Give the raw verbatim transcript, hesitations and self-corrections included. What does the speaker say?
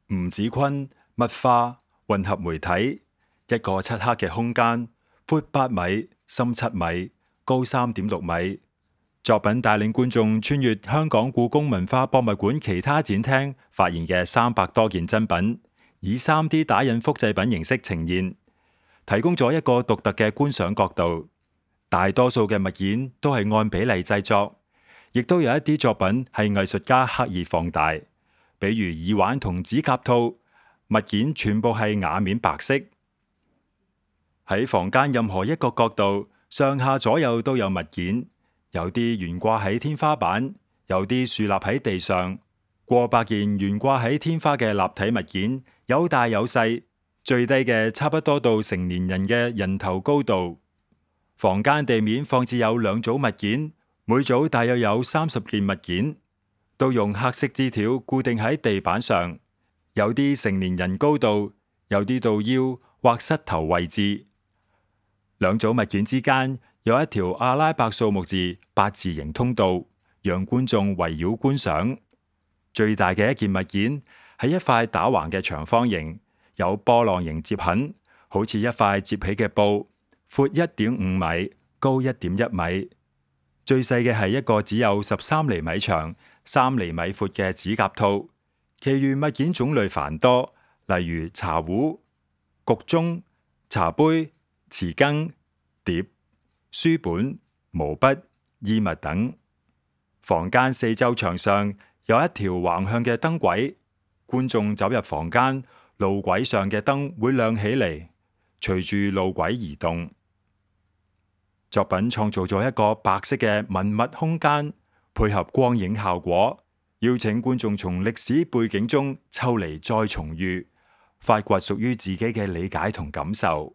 吳子昆物化混合媒體，一個漆黑嘅空間，闊八米，深七米，高三點六米。作品帶領觀眾穿越香港故宮文化博物館其他展廳發現嘅三百多件珍品，以 三 D 打印複製品形式呈現，提供咗一個獨特嘅觀賞角度。大多數嘅物件都係按比例製作，亦都有一啲作品係藝術家刻意放大，比如耳環同指甲套，物件全部係瓦面白色。喺房間任何一個角度，上下左右都有物件，有啲懸掛喺天花板，有啲豎立喺地上，過百件懸掛喺天花嘅立體物件，有大有細，最低嘅差不多到成年人嘅人頭高度。房間地面放置有兩組物件，每組大約有三十件物件，都用黑色枝條固定喺地板上，有啲成年人高度，有啲到腰或膝頭位置。兩組物件之間有一條阿拉伯數目字八字形通道，讓觀眾圍繞觀賞。最大嘅一件物件係一塊打橫嘅長方形，有波浪形接痕，好似一塊摺起嘅布，闊一點五米，高一點一米。最細嘅係一個只有十三厘米長、三厘米闊嘅指甲套。其餘物件種類繁多，例如茶壺、焗盅、茶杯、匙羹、碟、書本、毛筆、衣物等。房間四周牆上有一條橫向嘅燈軌，觀眾走入房間，路軌上嘅燈會亮起嚟，隨住路軌移動。作品創造咗一個白色嘅文物空間，配合光影效果，邀請觀眾從歷史背景中抽離再重遇，發掘屬於自己嘅理解同感受。